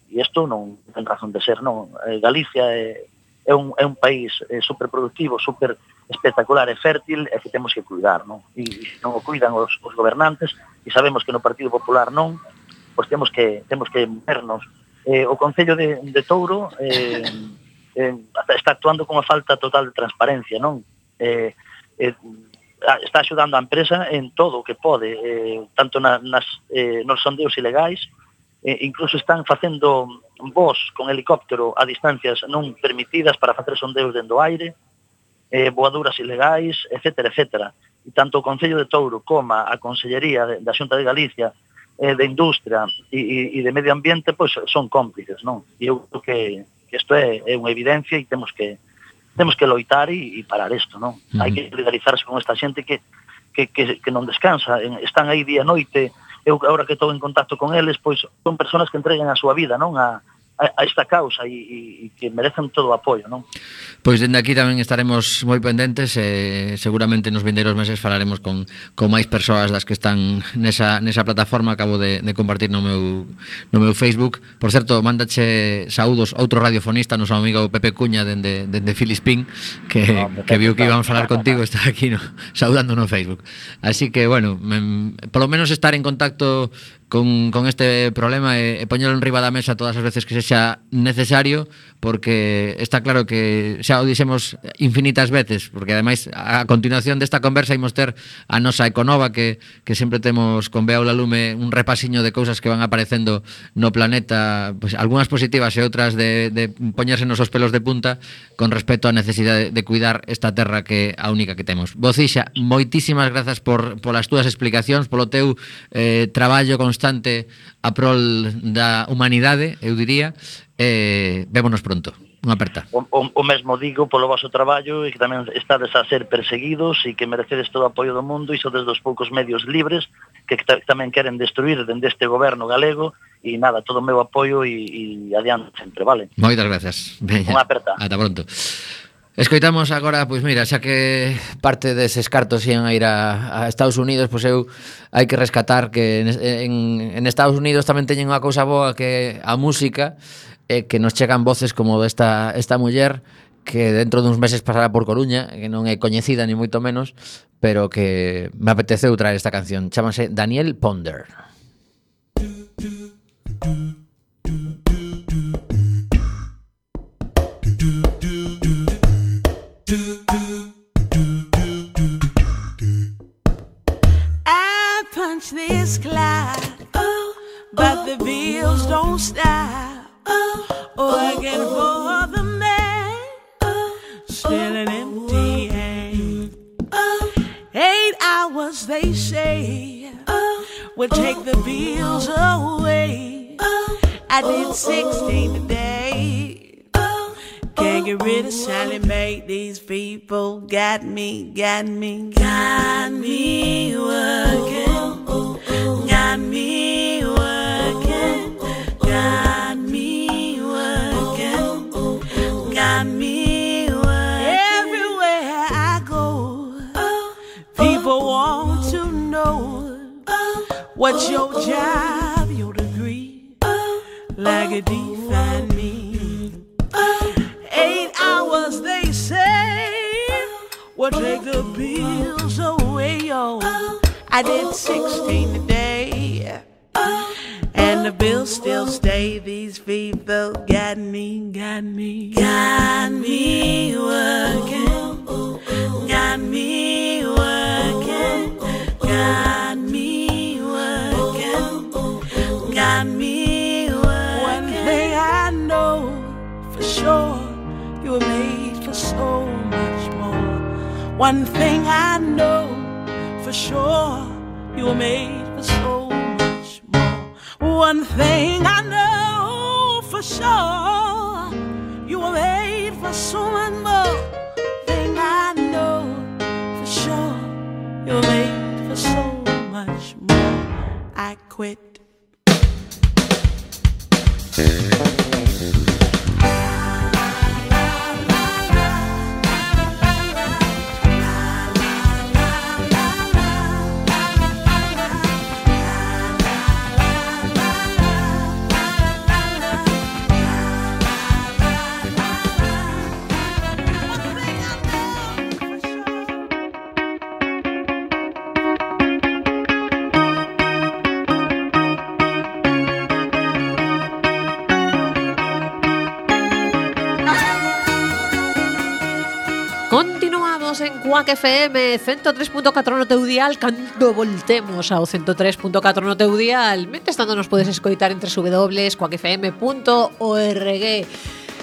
e isto non ten razón de ser, non? Eh, Galicia é, é, un, é un país eh, superproductivo, super espectacular e fértil, e que temos que cuidar, non? E, e non o cuidan os, os gobernantes, e sabemos que no Partido Popular non, pois temos que temos que movernos. Eh, o Concello de, de Touro eh, eh, está actuando con unha falta total de transparencia, non? Eh, eh, está axudando a empresa en todo o que pode, eh, tanto na, nas, eh, nos sondeos ilegais, eh, incluso están facendo voos con helicóptero a distancias non permitidas para facer sondeos dentro do aire, eh, voaduras ilegais, etcétera, etcétera. E tanto o Concello de Touro como a Consellería de, da Xunta de Galicia, eh, de Industria e, e de Medio Ambiente, pois son cómplices, non? E eu creo que, que isto é, é unha evidencia e temos que temos que loitar e, e parar isto, non? Uh-huh. Hai que solidarizarse con esta xente que, que, que, que non descansa, están aí día e noite. Eu, agora que estou en contacto con eles, pois son persoas que entregan a súa vida, non? A, a esta causa e, e, e que merecen todo o apoio, non? Pois dende aquí tamén estaremos moi pendentes e seguramente nos vindeiros meses falaremos con, con máis persoas das que están nesa, nesa plataforma. Acabo de, de compartir no meu, no meu Facebook. Por certo, mándache saúdos outro radiofonista, noso amigo Pepe Cuña dende, dende Filispín, que, no, que viu que íbamos a falar contigo, está aquí no, saudando no Facebook. Así que, bueno, me, polo menos estar en contacto con, con este problema e, e poñelo en riba da mesa todas as veces que sexa necesario, porque está claro que xa o dixemos infinitas veces, porque ademais a continuación desta conversa imos ter a nosa Econova, que, que sempre temos con Beaula Lume un repasiño de cousas que van aparecendo no planeta, pues, algunhas positivas e outras de, de poñerse nos os pelos de punta con respecto á necesidade de, de cuidar esta terra que é a única que temos. Bocixa, moitísimas grazas por, por as túas explicacións, polo teu eh, traballo constante a prol da humanidade, eu diría. Eh, vémonos pronto. Unha aperta. O, o, o mesmo digo polo vosso traballo, e que tamén estades a ser perseguidos e que merecedes todo o apoio do mundo, e sodes dos poucos medios libres que t- tamén queren destruir dende este goberno galego. E nada, todo o meu apoio e, e adiante sempre, vale? Moitas gracias. Unha aperta. Ata pronto. Escoitamos agora, pois mira, xa que parte deses cartos ian a ir a, a Estados Unidos, pois eu hai que rescatar que en, en, en Estados Unidos tamén teñen unha cousa boa, que a música, e que nos chegan voces como desta esta muller que dentro duns meses pasará por Coruña, que non é coñecida ni moito menos, pero que me apeteceu traer esta canción. Chámase Danielle Ponder. I punch this cloud, oh, but the bills don't stop. Working for the man, still an empty hand. Eight hours, they say, will take the bills away. I did sixteen today. Can't get rid of Sally Mae. These people got me, got me, got me working, got me working, got me working, got me working. Everywhere I go, people want to know what's your job, your degree, like a define me. Eight hours, they say, will take the bills away, yo. I did sixteen today, and the bills still stay. These people got me, got me, got me working, got me working, got me working, got me working. One thing I know for sure, you were made for so much more. One thing I know for sure, you were made for so much more. One thing I know for sure, you were made for so much more. I quit. Continuamos en Quack F M ciento tres punto catro no teu dial. Cando voltemos ao ciento tres punto catro no teu dial, mentres tanto nos podes escoitar en doble u doble u doble u punto quack f m punto org.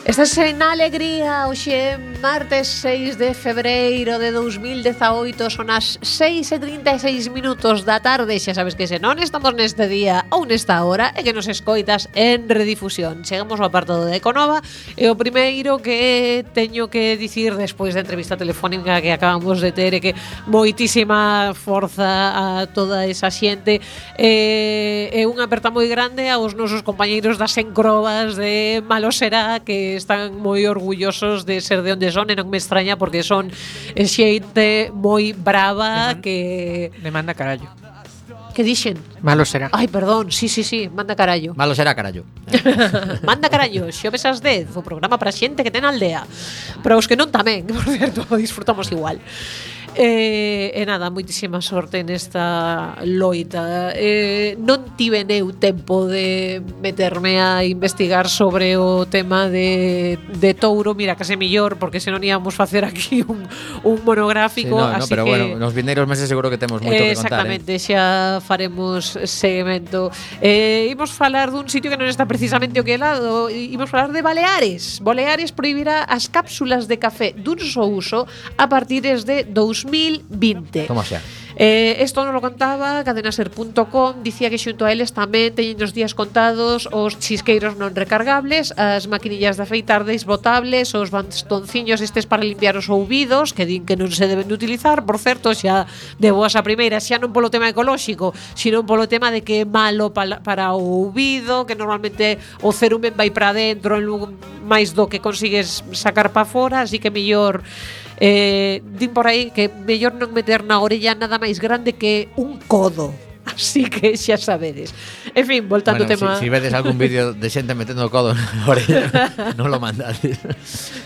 Estás en Alegría, hoxe martes seis de febreiro de dous mil dezaoito, son as seis e trinta e seis minutos da tarde. Xa sabes que se non estamos neste día ou nesta hora é que nos escoitas en redifusión. Chegamos ao apartado de Econova e o primeiro que teño que dicir despois da entrevista telefónica que acabamos de ter é que moitísima forza a toda esa xente e, e unha aperta moi grande aos nosos compañeiros das encrobas de Malosera, que están moi orgullosos de ser de onde son, e non me extraña porque son xente moi brava que... Me manda carallo. Que dixen? Malo será. Ai, perdón, sí, sí, sí, manda carallo. Malo será, carallo. Manda carallo, xoves ás dez, o programa para xente que ten aldea. Para os que non tamén, por certo, disfrutamos igual. E, e nada, moitísima sorte nesta loita. E, non tive eu tempo de meterme a investigar sobre o tema de, de Touro. Mira, case millor, porque senón íamos facer aquí un, un monográfico. Sí, no, no, así pero que, bueno, nos vindeiros meses seguro que temos moito que contar. Exactamente, eh? xa faremos seguimento. Eh, imos falar dun sitio que non está precisamente o que lado. Imos falar de Baleares. Baleares prohibirá as cápsulas de café dun só uso a partir de dous mil vinte. Toma xa. Eh, esto nos lo contaba cadenaser punto com, dicía que xunto a eles tamén teñen os días contados os chisqueiros non recargables, as maquinillas de afeitar desbotables, os bastonciños estes para limpiar os ouvidos, que din que non se deben de utilizar, por certo, xa de boas a primeira, xa non polo tema ecolóxico, sino polo tema de que é malo para, para o ouvido, que normalmente o cerumen vai para dentro en lugar máis do que consigues sacar para fora, así que mellor Eh, din por aí que mellor non meter na orella nada máis grande que un codo. Así que xa sabedes. En fin, voltando bueno, ao tema. Si, si vedes algún vídeo de xente metendo o codo na orella, non lo mandades.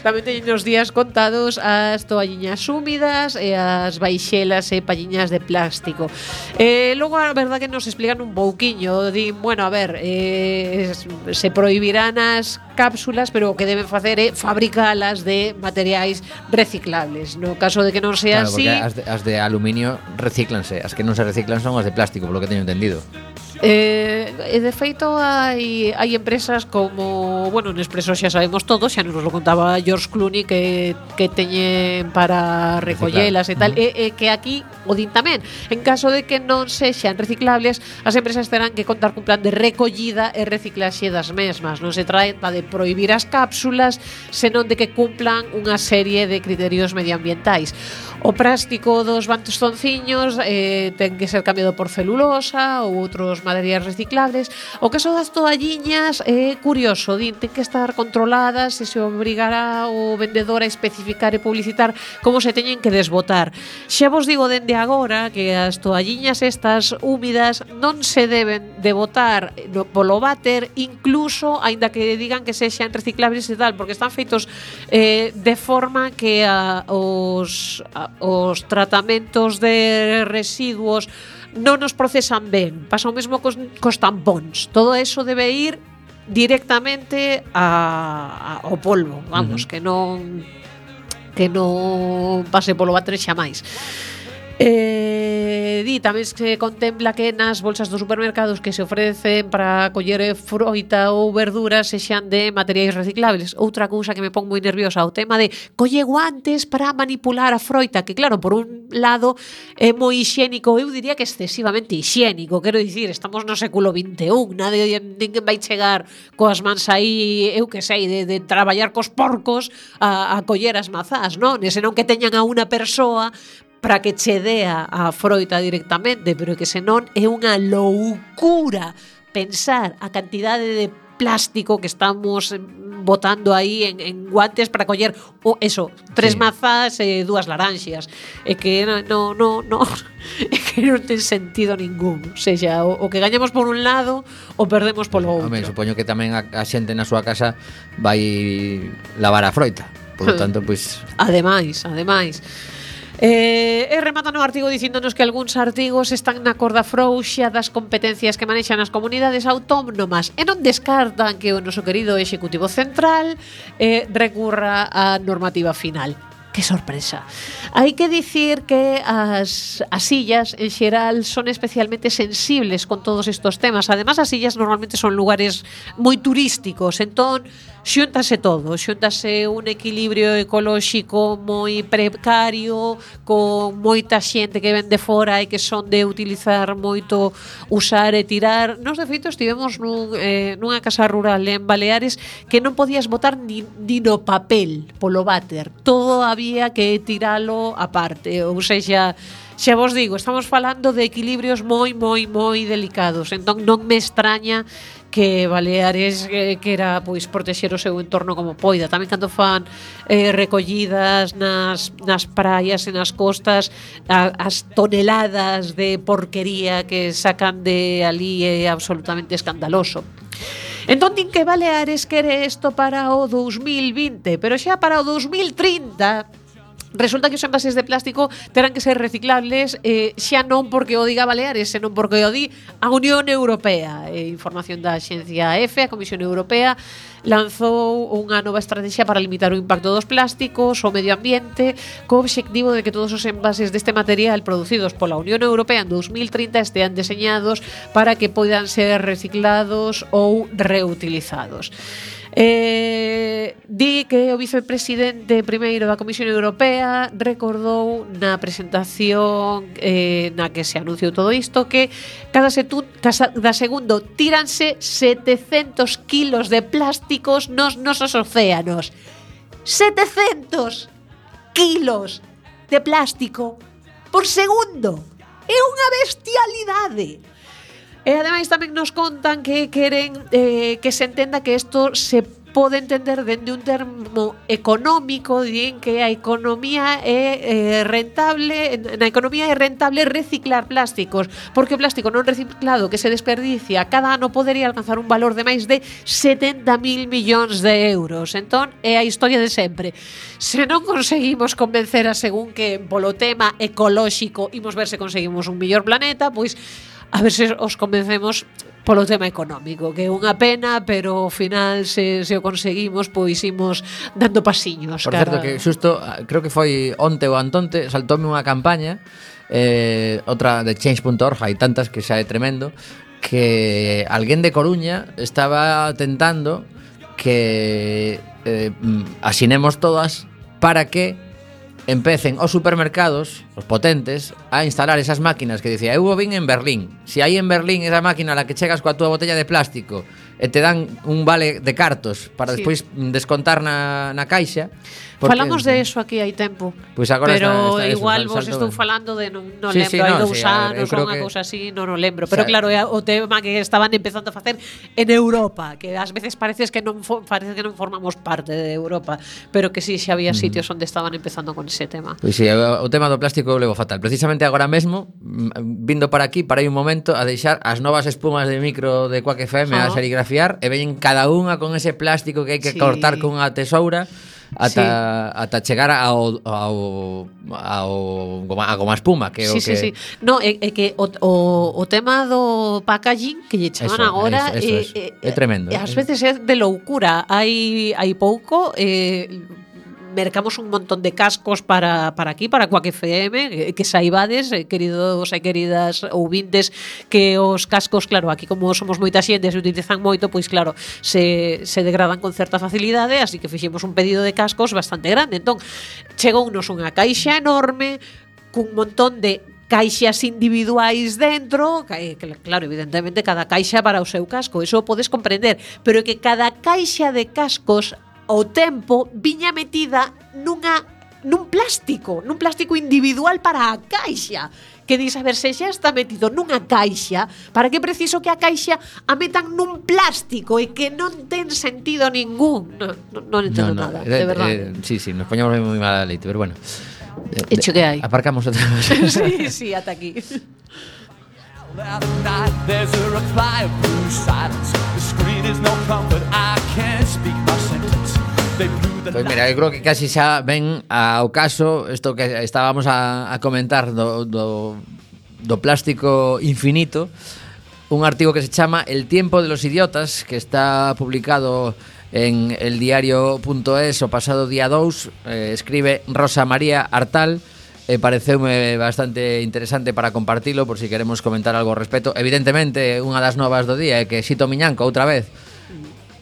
Tamén teñen os días contados as toalliñas húmidas e as baixelas e palliñas de plástico. Eh, logo, a verdad que nos explican un pouquiño. Din, bueno, a ver, eh, se prohibirán as cápsulas, pero o que deben facer é fabricalas de materiais reciclables. No caso de que non sea claro, así... Porque as de, as de aluminio recíclanse, as que non se reciclan son as de plástico, por lo que teño entendido. Eh, e de feito hai, hai empresas como, bueno, Nespresso xa sabemos todos, xa nos lo contaba George Clooney que, que teñen para recollelas e tal, uh-huh. e, e que aquí o din tamén, en caso de que non sexan reciclables, as empresas terán que contar cun plan de recollida e reciclaxe das mesmas. Non se trata de prohibir as cápsulas, senón de que cumplan unha serie de criterios medioambientais. O plástico dos bastonciños eh, ten que ser cambiado por celulosa ou outros materiais reciclables. O caso das toalliñas é curioso, din, ten que estar controladas e se obrigará o vendedor a especificar e publicitar como se teñen que desbotar. Xa vos digo dende agora que as toalliñas estas húmidas non se deben de botar no, polo váter, incluso aínda que digan que sexan reciclables e tal, porque están feitos eh, de forma que a, os a, os tratamentos de residuos non nos procesan ben. Pasa o mesmo cos, cos tampóns. Todo eso debe ir directamente a, a, ao polvo, vamos, uh-huh. que non que non pase polo váter xa máis. Eh, di tamén se contempla que nas bolsas dos supermercados que se ofrecen para coller froita ou verduras sexan de materiais reciclables. Outra cousa que me pon moi nerviosa, o tema de colle guantes para manipular a froita, que claro, por un lado é moi hixiénico, eu diría que excesivamente hixiénico, quero dicir, estamos no século vinte e un, nadie, ninguén vai chegar coas mans aí, eu que sei, de, de traballar cos porcos a, a coller as mazás, non? E senón que teñan a unha persoa para que che dea a froita directamente, pero que senón é unha loucura pensar a cantidade de plástico que estamos botando aí en, en guantes para coller o, eso, tres sí. mazas e dúas laranxas. É que no, no, no, é que non ten sentido ningún. O sea, o, o que gañamos por un lado o perdemos polo outro. Home, supoño que tamén a, a xente na súa casa vai lavar a froita. Por lo tanto, pois... Pues... Ademais, ademais. Eh, e rematan o artigo dicíndonos que algúns artigos están na corda frouxa das competencias que manexan as comunidades autónomas e non descartan que o noso querido Executivo Central eh, recurra á normativa final. Que sorpresa. Hai que dicir que as, as illas en xeral son especialmente sensibles con todos estos temas. Además, as illas normalmente son lugares moi turísticos, entón xúntase todo, xúntase un equilibrio ecolóxico moi precario, con moita xente que ven de fora e que son de utilizar moito, usar e tirar. Nos, de feito, estivemos nun, eh, nunha casa rural en Baleares que non podías botar ni, ni no papel polo váter. Todo había que tiralo aparte, ou seja, xa vos digo, estamos falando de equilibrios moi, moi, moi delicados. Entón non me extraña que Baleares eh, quera pois protexer o seu entorno como poida. Tamén cando fan eh, recollidas nas, nas praias e nas costas, a, as toneladas de porquería que sacan de ali é absolutamente escandaloso. Entón din que Baleares quere isto para o dous mil vinte, pero xa para o dous mil trinta resulta que os envases de plástico terán que ser reciclables, eh, xa non porque o diga Baleares, senón porque o di a Unión Europea. Eh, información da Axencia E F E, a Comisión Europea lanzou unha nova estrategia para limitar o impacto dos plásticos ao medio ambiente, co obxectivo de que todos os envases deste material producidos pola Unión Europea en dous mil trinta estean deseñados para que poidan ser reciclados ou reutilizados. Eh, di que o vicepresidente primeiro da Comisión Europea recordou na presentación eh, na que se anunciou todo isto que cada, setu, cada segundo tíranse setecentos kilos de plásticos nos nosos océanos. setecentos kilos de plástico por segundo. É unha bestialidade. E ademais tamén nos contan que queren eh, que se entenda que isto se pode entender dende un termo económico, din que a economía é eh, rentable, na economía é rentable reciclar plásticos, porque o plástico non reciclado que se desperdicia cada ano podería alcanzar un valor de máis de setenta mil millóns de euros. Entón, é a historia de sempre. Se non conseguimos convencer a según que polo tema ecolóxico imos ver se conseguimos un mellor planeta, pois a ver se os convencemos polo tema económico, que é unha pena, pero ao final se, se o conseguimos, pois imos dando pasiños. Por cara. certo, que xusto, creo que foi onte ou antonte, saltoume unha campaña, eh, outra de change punto org, hai tantas que xa é tremendo, que alguén de Coruña estaba tentando que eh, asinemos todas para que empecen os supermercados, os potentes, a instalar esas máquinas que dicía, eu vin en Berlín. Se hai en Berlín esa máquina a la que chegas coa túa botella de plástico e te dan un vale de cartos para sí. despois descontar na, na caixa. Porque, falamos de eso aquí hai tempo. Pues agora pero está, está igual eso, vos estou falando de non, non sí, lembro, sí, hai no, dous sí, anos ou unha que... cousa así, non o lembro. Pero o sea, claro, é o tema que estaban empezando a facer en Europa, que ás veces parece que non parece que non formamos parte de Europa, pero que sí, xa había sitios onde estaban empezando con ese tema. Pois pues sí, o tema do plástico eu levo fatal. Precisamente agora mesmo, vindo para aquí, para aí un momento a deixar as novas espumas de micro de Quack F M ah. a serigrafiar e veñen cada unha con ese plástico que hai que sí. cortar con unha tesoura ata, sí. ata chegar ao, ao, ao goma, a goma espuma que sí, o que... sí, sí. No, é, é que o, o, o tema do packaging que lle chaman eso, agora eso, eso é, é, é tremendo. Ás veces é de loucura. Hai hai pouco eh mercamos un montón de cascos para, para aquí, para Quack F M, que saibades, queridos e queridas ouvintes, que os cascos, claro, aquí como somos moita xente, se utilizan moito, pois claro, se, se degradan con certa facilidade, así que fixemos un pedido de cascos bastante grande. Entón, chegounos unha caixa enorme, cun montón de caixas individuais dentro, que, claro, evidentemente cada caixa para o seu casco, eso podes comprender, pero que cada caixa de cascos ao tempo viña metida nunha nun plástico, nun plástico individual para a caixa. Que dis, a ver, se xa está metido nunha caixa, para que preciso que a caixa a metan nun plástico e que non ten sentido ningún? Non, non, non entendo no, no, nada, eh, de verdade. Eh, sí, sí, nos poñamos moi mala leite, pero bueno. De, Hecho que hai. Aparcamos outra vez. Sí, sí, ata aquí. That night there's a reply of blue silence. The screen is no comfort, I can't speak my sentence. They blew the Pois mira, eu creo que casi xa ven ao caso isto que estábamos a, a comentar do, do, do plástico infinito. Un artigo que se chama El tiempo de los idiotas, que está publicado en el diario punto es o pasado día dous. eh, Escribe Rosa María Artal. Eh, pareceume bastante interesante para compartilo, por si queremos comentar algo ao respecto. Evidentemente, unha das novas do día é que Xito Miñanco, outra vez,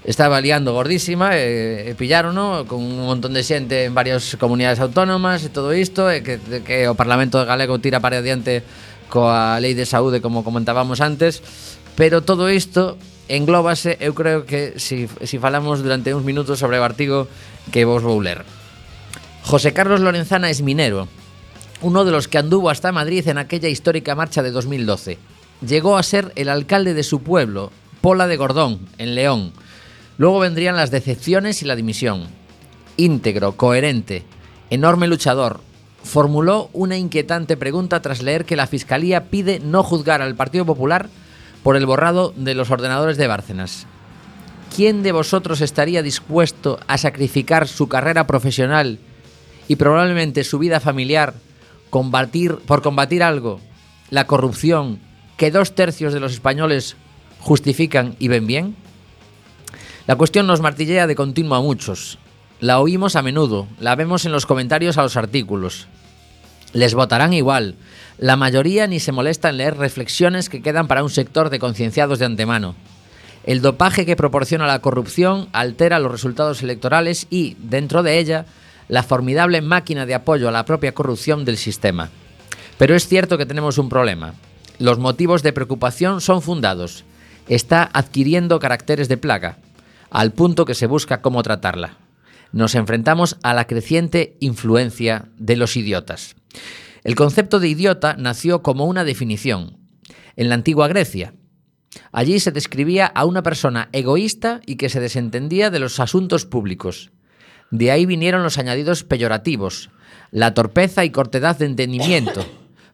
estaba liando gordísima, e, e pillarono con un montón de xente en varias comunidades autónomas e todo isto, e que, que o Parlamento galego tira para adiante coa Lei de Saúde, como comentábamos antes. Pero todo isto englóbase, eu creo que si, si falamos durante uns minutos sobre o artigo que vos vou ler. José Carlos Lorenzana es minero, uno de los que anduvo hasta Madrid en aquella histórica marcha de dos mil doce. Llegó a ser el alcalde de su pueblo, Pola de Gordón, en León. Luego vendrían las decepciones y la dimisión. Íntegro, coherente, enorme luchador, formuló una inquietante pregunta tras leer que la Fiscalía pide no juzgar al Partido Popular por el borrado de los ordenadores de Bárcenas. ¿Quién de vosotros estaría dispuesto a sacrificar su carrera profesional y probablemente su vida familiar combatir, por combatir algo, la corrupción, que dos tercios de los españoles justifican y ven bien? La cuestión nos martillea de continuo a muchos. La oímos a menudo, la vemos en los comentarios a los artículos. Les votarán igual. La mayoría ni se molesta en leer reflexiones que quedan para un sector de concienciados de antemano. El dopaje que proporciona la corrupción altera los resultados electorales y, dentro de ella, la formidable máquina de apoyo a la propia corrupción del sistema. Pero es cierto que tenemos un problema. Los motivos de preocupación son fundados. Está adquiriendo caracteres de plaga, al punto que se busca cómo tratarla. Nos enfrentamos a la creciente influencia de los idiotas. El concepto de idiota nació como una definición en la antigua Grecia. Allí se describía a una persona egoísta y que se desentendía de los asuntos públicos. De ahí vinieron los añadidos peyorativos, la torpeza y cortedad de entendimiento,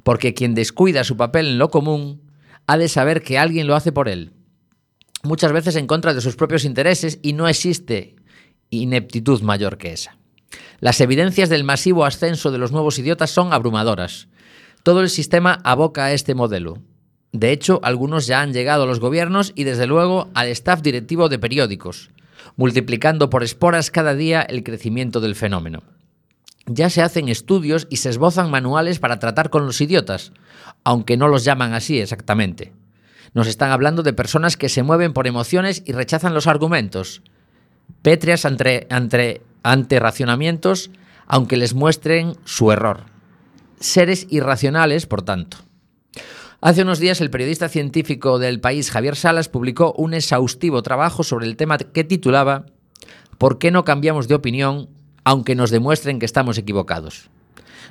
porque quien descuida su papel en lo común ha de saber que alguien lo hace por él, muchas veces en contra de sus propios intereses, y no existe ineptitud mayor que esa. Las evidencias del masivo ascenso de los nuevos idiotas son abrumadoras. Todo el sistema aboca a este modelo. De hecho, algunos ya han llegado a los gobiernos y desde luego al staff directivo de periódicos, multiplicando por esporas cada día el crecimiento del fenómeno. Ya se hacen estudios y se esbozan manuales para tratar con los idiotas, aunque no los llaman así exactamente. Nos están hablando de personas que se mueven por emociones y rechazan los argumentos, pétreas ante, ante, ante racionamientos, aunque les muestren su error. Seres irracionales, por tanto. Hace unos días el periodista científico del País, Javier Salas, publicó un exhaustivo trabajo sobre el tema que titulaba ¿Por qué no cambiamos de opinión aunque nos demuestren que estamos equivocados?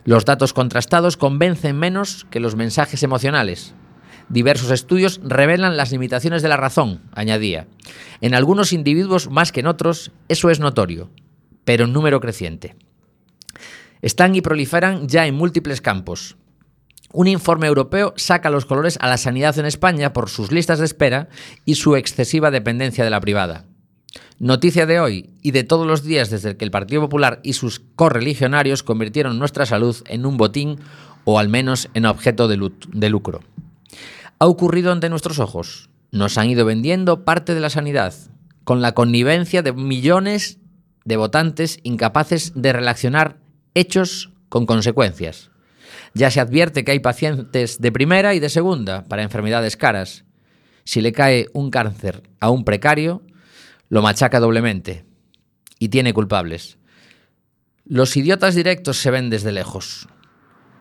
Los datos contrastados convencen menos que los mensajes emocionales. Diversos estudios revelan las limitaciones de la razón, añadía. En algunos individuos más que en otros, eso es notorio, pero en número creciente. Están y proliferan ya en múltiples campos. Un informe europeo saca los colores a la sanidad en España por sus listas de espera y su excesiva dependencia de la privada. Noticia de hoy y de todos los días desde que el Partido Popular y sus correligionarios convirtieron nuestra salud en un botín o al menos en objeto de, de lucro. Ha ocurrido ante nuestros ojos. Nos han ido vendiendo parte de la sanidad, con la connivencia de millones de votantes incapaces de relacionar hechos con consecuencias. Ya se advierte que hay pacientes de primera y de segunda para enfermedades caras. Si le cae un cáncer a un precario, lo machaca doblemente y tiene culpables. Los idiotas directos se ven desde lejos.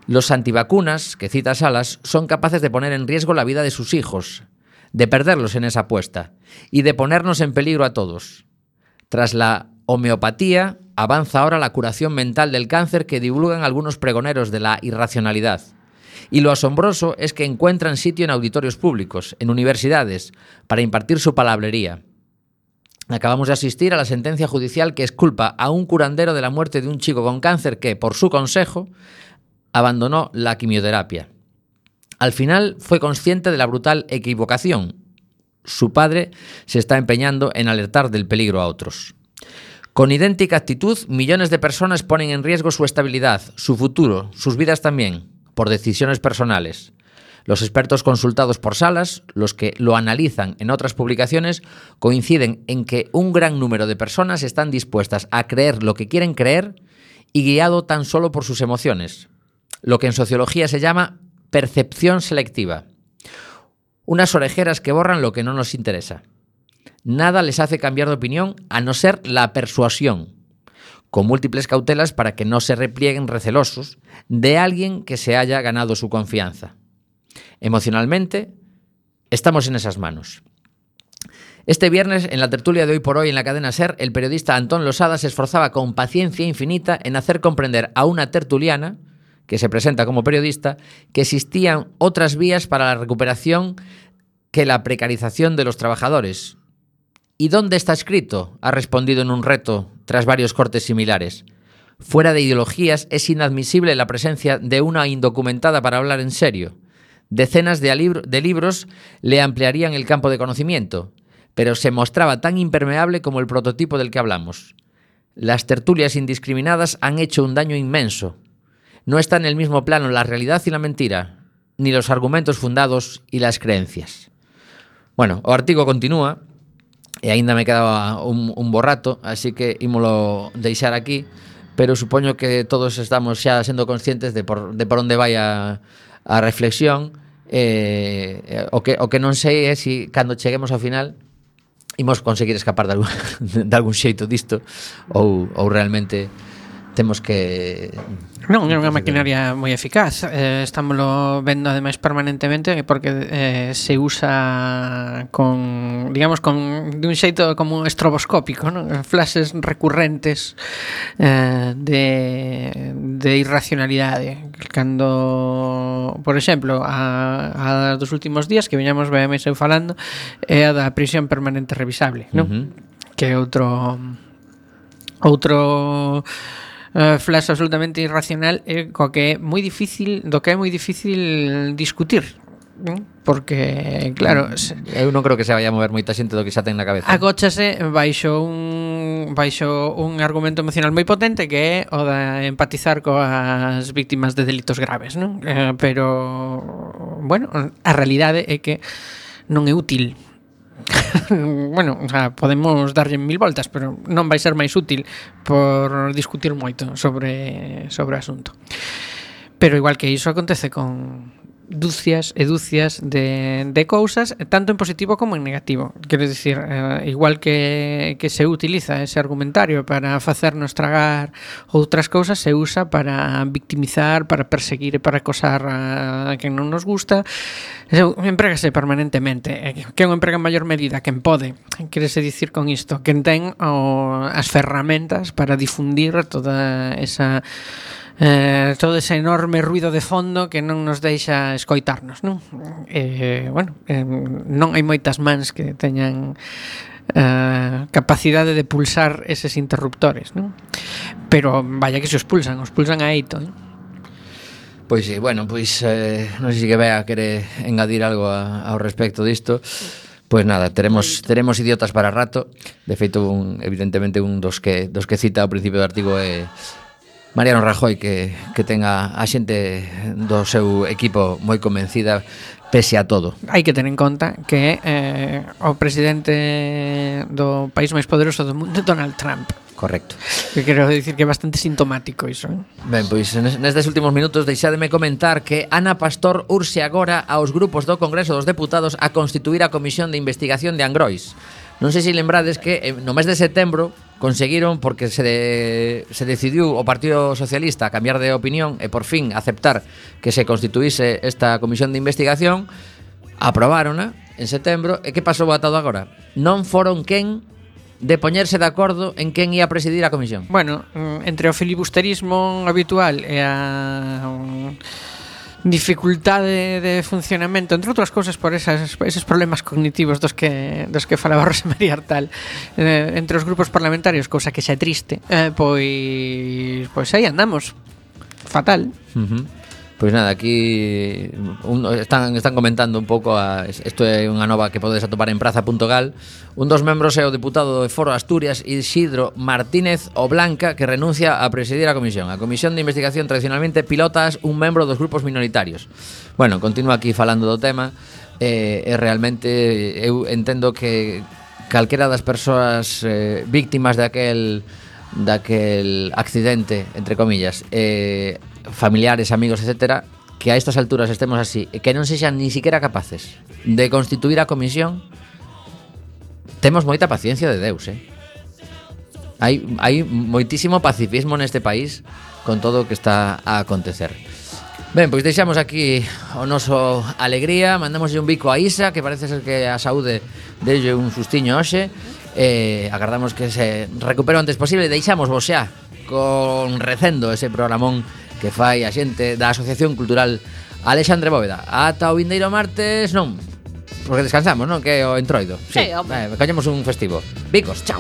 Los antivacunas, que cita Salas, son capaces de poner en riesgo la vida de sus hijos, de perderlos en esa apuesta y de ponernos en peligro a todos. Tras la homeopatía, avanza ahora la curación mental del cáncer que divulgan algunos pregoneros de la irracionalidad. Y lo asombroso es que encuentran sitio en auditorios públicos, en universidades, para impartir su palabrería. Acabamos de asistir a la sentencia judicial que exculpa a un curandero de la muerte de un chico con cáncer que, por su consejo, abandonó la quimioterapia. Al final fue consciente de la brutal equivocación. Su padre se está empeñando en alertar del peligro a otros. Con idéntica actitud, millones de personas ponen en riesgo su estabilidad, su futuro, sus vidas también, por decisiones personales. Los expertos consultados por Salas, los que lo analizan en otras publicaciones, coinciden en que un gran número de personas están dispuestas a creer lo que quieren creer y guiado tan solo por sus emociones, lo que en sociología se llama percepción selectiva. Unas orejeras que borran lo que no nos interesa. Nada les hace cambiar de opinión a no ser la persuasión, con múltiples cautelas para que no se replieguen recelosos de alguien que se haya ganado su confianza. Emocionalmente, estamos en esas manos. Este viernes, en la tertulia de Hoy por Hoy en la cadena SER, el periodista Antón Losada se esforzaba con paciencia infinita en hacer comprender a una tertuliana, que se presenta como periodista, que existían otras vías para la recuperación que la precarización de los trabajadores. ¿Y dónde está escrito?, ha respondido en un reto tras varios cortes similares. Fuera de ideologías, es inadmisible la presencia de una indocumentada para hablar en serio. Decenas de, libro, de libros le ampliarían el campo de conocimiento, pero se mostraba tan impermeable como el prototipo del que hablamos. Las tertulias indiscriminadas han hecho un daño inmenso. No está en el mismo plano la realidad y la mentira, ni los argumentos fundados y las creencias. Bueno, o artigo continúa, e aínda me quedaba un, un borrato, así que ímolo deixar aquí, pero supoño que todos estamos xa sendo conscientes de por, de por onde vai a a reflexión. eh, o, que, o que non sei é se cando cheguemos ao final imos conseguir escapar de algún, de algún xeito disto ou, ou realmente temos que... Non, é unha maquinaria moi eficaz. Eh, estámoslo vendo ademais permanentemente porque eh, se usa con, digamos, con de un xeito como estroboscópico, non? Flashes recurrentes eh, de, de irracionalidade. Cando, por exemplo, a, a dos últimos días que viñamos veamos eu falando é a da prisión permanente revisable, non? Uh-huh. Que é outro outro Uh, flash absolutamente irracional e co que é moi difícil, do que é moi difícil discutir, ¿no? Porque claro, se, eu non creo que se vaya a mover moita xente do que xa ten na cabeza. Agóchase baixo un baixo un argumento emocional moi potente que é o da empatizar coas víctimas de delitos graves, non? Eh, pero bueno, a realidade é que non é útil. Bueno, o sea, podemos darlle mil voltas, pero non vai ser máis útil por discutir moito sobre sobre o asunto. Pero igual que iso acontece con dúcias e dúcias de, de cousas, tanto en positivo como en negativo. Quero dicir, eh, igual que, que se utiliza ese argumentario para facernos tragar outras cousas, se usa para victimizar, para perseguir e para acosar a, a quen non nos gusta. Emprégase permanentemente. Quen o emprega en maior medida? Quen pode. Querese dicir con isto? Quen ten o, as ferramentas para difundir toda esa... Eh, todo ese enorme ruido de fondo que non nos deixa escoitarnos, non? Eh, bueno, eh, non hai moitas mans que teñan eh, capacidade de pulsar eses interruptores, non? Pero vaya que se os pulsan, os pulsan a eito, non? Pois sí, bueno, pois eh, non sei se que Bea quere engadir algo a, ao respecto disto. Pois nada, teremos teremos idiotas para rato. De feito, un, evidentemente un dos que dos que cita ao principio do artigo é Mariano Rajoy, que, que tenga a xente do seu equipo moi convencida pese a todo. Hai que ter en conta que eh, o presidente do país máis poderoso do mundo é Donald Trump. Correcto. Que quero dicir que é bastante sintomático iso, eh? Ben, pois nestes últimos minutos deixádeme comentar que Ana Pastor urxe agora aos grupos do Congreso dos Deputados a constituir a Comisión de Investigación de Angrois. Non sei se lembrades que no mes de setembro conseguiron, porque se, de, se decidiu o Partido Socialista a cambiar de opinión e por fin aceptar que se constituíse esta comisión de investigación, aprobárona en setembro. E que pasou atado agora? Non foron quen de poñerse de acordo en quen ia presidir a comisión. Bueno, entre o filibusterismo habitual e a dificultade de funcionamento, entre outras cousas por esas, eses problemas cognitivos dos que dos que falaba Rosa María Artal, eh, entre os grupos parlamentarios, cousa que xa é triste, eh, pois pois aí andamos. Fatal. Uh-huh. Pois nada, aquí un, están, están comentando un pouco a, isto é unha nova que podes atopar en praza punto gal. Un dos membros é o deputado de Foro Asturias, Isidro Martínez o Blanca, que renuncia a presidir a comisión. A comisión de investigación tradicionalmente pilotas un membro dos grupos minoritarios. Bueno, continúa aquí falando do tema e, e realmente eu entendo que calquera das persoas eh, víctimas daquel daquel accidente, entre comillas, eh, familiares, amigos, etcétera, que a estas alturas estemos así e que non sexan ni siquiera capaces de constituir a comisión, temos moita paciencia de Deus, eh? Hai, hai moitísimo pacifismo neste país con todo o que está a acontecer. Ben, pois deixamos aquí o noso alegría, mandamoslle un bico a Isa, que parece ser que a saúde delle un sustiño hoxe. Eh, agardamos que se recupere o antes posible. Deixamos vos xa con Recendo, ese programón que fai a xente da Asociación Cultural Alexandre Bóveda. Ata o vindeiro martes, non, porque descansamos, non? Que é o entroido. Sí, sí, hombre. Eh, collemos un festivo. Bicos, chao.